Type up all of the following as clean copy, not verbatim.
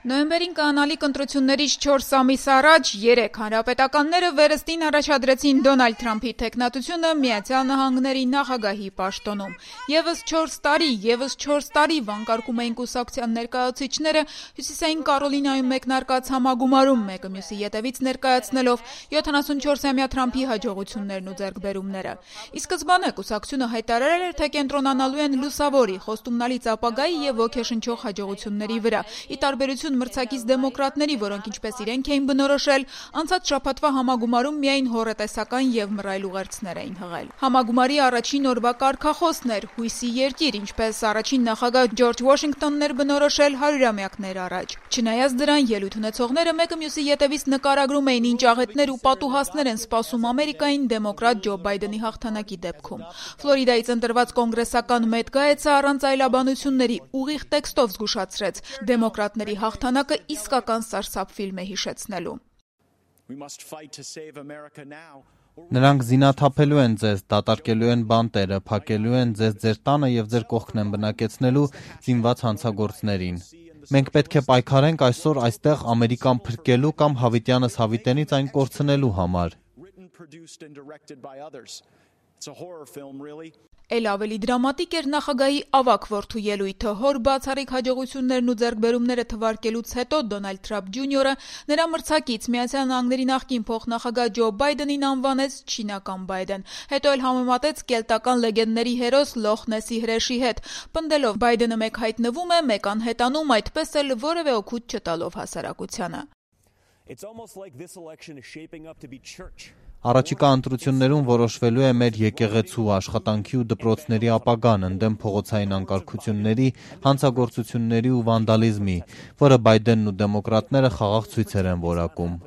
Նոյեմբերին կանալիք ընտրություններից 4 ամիս առաջ 3 հանրապետականները վերստին առաջադրեցին Դոնալդ Թրամփի թեկնածությունը Միացյալ Նահանգների նախագահի պաշտոնում։ Եվս 4 տարի վանկարկում էին կուսակցության ներկայացուցիչները Հյուսիսային Կարոլինայում մեկնարկած համագումարում մեկը մյուսի ետևից ներկայացնելով 74-ամյա Թրամփի հաջողություններն ու ձեռքբերումները։ Ի սկզբանե կուսակցությունը հայտարարել էր, թե կենտրոնանալու են լուսավորի, խոստումնալից ապագայի եւ ոգեշնչող հաջողությունների վրա, ի տարբերություն մրցակից դեմոկրատների, որոնք ինչպես իրենք էին բնորոշել, անցած շաբաթվա համագումարում միայն հոռետեսական եւ մռայլ ուղերձներ էին հղել։ Համագումարի առաջին օրվա կարգախոսն էր հույսի երկիր, ինչպես առաջին նախագահ Ջորջ Վաշինգտոնն էր բնորոշել 100-ամյակներ առաջ։ Չնայած դրան, ելույթ ունեցողները մեկը մյուսի ետևից նկարագրում էին ինչ աղետներ ու պատուհասներ են սպասում Ամերիկային դեմոկրատ Ջո Բայդենի հաղթանակի դեպքում։ Ֆլորիդայից ընտրված կոնգրեսական Մեթ Գայեցը առանց այլաբանությունների ուղիղ տեքստով զգուշացրեց դեմոկրատների հաղթանակը իսկական սարսափ ֆիլմ է հիշեցնելու։ Նրանք զինաթափելու են ձեզ, դատարկելու են բանտերը, փակելու են ձեզ ձեր տանը եւ ձեր կողքն են բնակեցնելու զինված հանցագործներին։ Մենք պետք է պայքարենք այսօր այստեղ Ամերիկան փրկելու կամ հավիտյանս հավիտենից այն կորցնելու համար։ Էլ ավելի դրամատիկ էր նախագահի ավագ որդու ելույթը։ Հոր բացառիկ հաջողություններն ու ձեռքբերումները թվարկելուց հետո Դոնալդ Թրամփ Ջունիորը նրա մրցակից Միացյալ Նահանգների նախկին փոխնախագահ Ջո Բայդենին անվանեց չինական Բայդեն, հետո էլ համեմատեց կելտական լեգենդների հերոս Լոխ Նեսի հրեշի հետ, պնդելով Բայդենը մեկ հայտնվում է, մեկ անհետանում, այդպես էլ որևէ օգուտ չտալով հասարակությանը։ Առաջիկա ընտրություններում որոշվելու է մեր եկեղեցու, աշխատանքի ու դպրոցների ապագան ընդդեմ փողոցային անկարգությունների, հանցագործությունների ու վանդալիզմի, որը Բայդենն ու դեմոկրատները խաղաղ ցույցեր են որակում։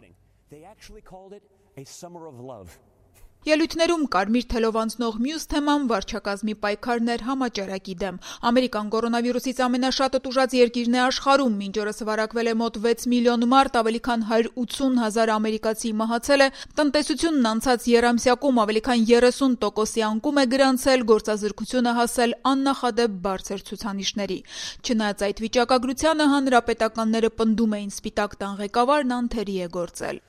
Ելույթներում կարմիր թելով անցնող մյուս թեման վարչակազմի պայքարն էր համաճարակի դեմ։ Ամերիկան կորոնավիրուսից ամենաշատը տուժած երկիրն է աշխարհում, մինչ օրս վարակվել է մոտ 6 միլիոն մարդ, ավելի քան 180,000 ամերիկացի մահացել է, տնտեսությունն անցած եռամսյակում ավելի քան 30%-ի անկում է գրանցել, գործազրկությունը հասել աննախադեպ բարձր ցուցանիշների։ Չնայած այդ վիճակագրությանը հանրապետականները պնդում էին Սպիտակ տան ղեկավարն անթերի է գործել։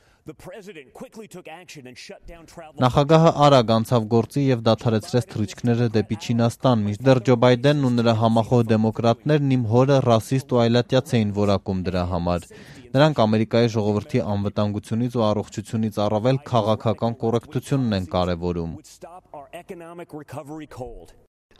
Նախագահը արագ անցավ գործի եւ դադարեցրեց թռիչքները դեպի Չինաստան, մինչդեռ Ջո Բայդենն ու նրա համախոհ դեմոկրատներն իմ հորը ռասիստ ու այլատյաց էին որակում դրա համար։ Նրանք Ամերիկայի ժողովրդի անվտանգությունից ու առողջությունից առավել քաղաքական կոռեկտությունն են կարևորում։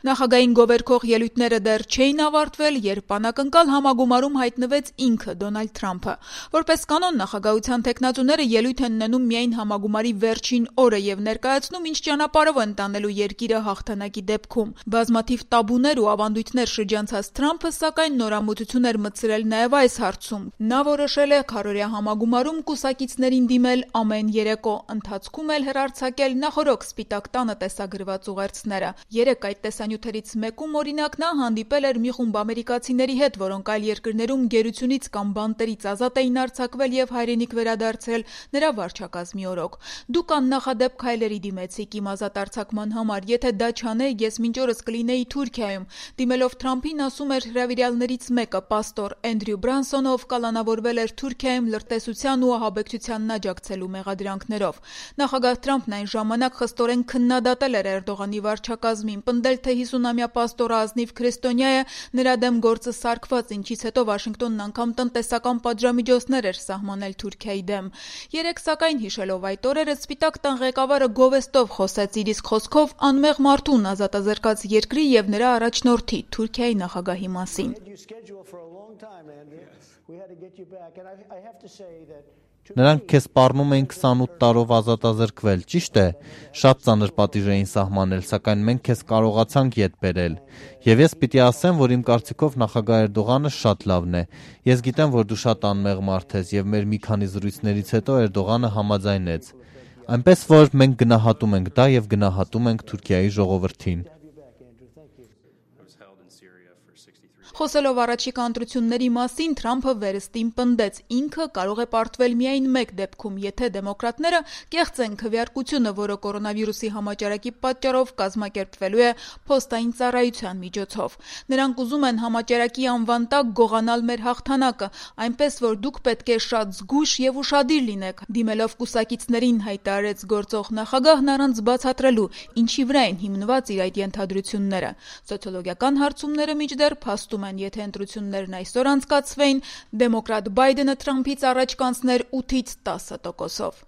Նախագահային գովերքող ելույթները դեռ չէին ավարտվել, երբ անակնկալ համագումարում հայտնվեց ինքը Դոնալդ Թրամփը։ Որպես կանոն նախագահության թեկնածուները ելույթ են ունենում միայն համագումարի վերջին օրը եւ ներկայացնում, ինչ ճանապարհով են տանելու երկիրը հաղթանակի դեպքում։ Բազմաթիվ տաբուներ ու ավանդույթներ շրջանցած Թրամփը, սակայն նորամուծություն էր մտցրել նաեւ այս հարցում։ Նա որոշել է քառօրյա համագումարում կուսակիցներին դիմել ամեն երեկո, ընթացքում էլ հեռարձակել նախորոք Սպիտակ տանը տեսագրված ուղերձները։ Երեք այդ տեսանյութերից մեկում օրինակ նա հանդիպել էր մի խումբ ամերիկացիների հետ, որոնք այլ երկրներում գերությունից կամ բանտերից ազատ էին արձակվել եւ հայրենիք վերադարձել նրա վարչակազմի օրոք։ Դուք աննախադեպ քայլերի դիմեցիք իմ ազատ արձակման համար, եթե դա չանեի, ես մինչ օրս կլինեի Թուրքիայում։ Դիմելով Թրամփին ասում էր հրավիրյալներից մեկը, պաստոր Էնդրյու Բրանսոնը, ով կալանավորվել էր Թուրքիայում լրտեսության ու ահաբեկչությանն աջակցելու մեղադրանքներով։ Նախագահ Թրամփն այն ժամանակ խստորեն քննադատել էր Էրդողանի վարչակազմին, պնդել, թե 50-ամյա պաստորը ազնիվ քրիստոնյա է, նրա դեմ գործը սարկված, ինչից հետո Վաշինգտոնն անգամ տնտեսական պատժամիջոցներ էր սահմանել Թուրքիայի դեմ։ Երեք սակայն հիշելով այդ օրերը Սպիտակ տան ղեկավարը գովեստով խոսեց իր իսկ խոսքով անմեղ մարդուն ազատազրկած երկրի եւ նրա առաջնորդի Թուրքիայի նախագահի մասին։ Նրանք քեզ սպառնում էին 28 տարով ազատազրկվել, ճիշտ է, շատ ծանր պատիժ էին սահմանել, սակայն մենք քեզ կարողացանք ետ բերել։ Եվ ես պիտի ասեմ, որ իմ կարծիքով նախագահ Էրդողանը շատ լավն է։ Ես գիտեմ, որ դու շատ անմեղ մարդ ես եւ մեր մի քանի զրույցներից հետո Էրդողանը համաձայնեց։ Այնպես որ մենք գնահատում ենք դա եւ գնահատում ենք Թուրքիայի ժողովրդին։ Խոսելով առաջիկա ընտրությունների մասին, Թրամփը վերստին պնդեց, ինքը կարող է պարտվել միայն մեկ դեպքում, եթե դեմոկրատները կեղծեն քվեարկությունը, որը կորոնավիրուսի համաճարակի պատճառով կազմակերպվելու է փոստային ծառայության միջոցով։ Նրանք ուզում են համաճարակի անվան տակ գողանալ մեր հաղթանակը, այնպես որ դուք պետք է շատ զգույշ եւ ուշադիր լինեք, դիմելով կուսակիցներին հայտարարեց գործող նախագահն առանց բացատրելու, ինչի վրա են հիմնված իր այդ ենթադրությունները։ Սոցիոլոգիական հարցումները մինչդեռ փաստում են, եթե ընտրություններն այսօր անցկացվեին, դեմոկրատ Բայդենը Թրամփից առաջ կանցներ 8-ից 10%-ով։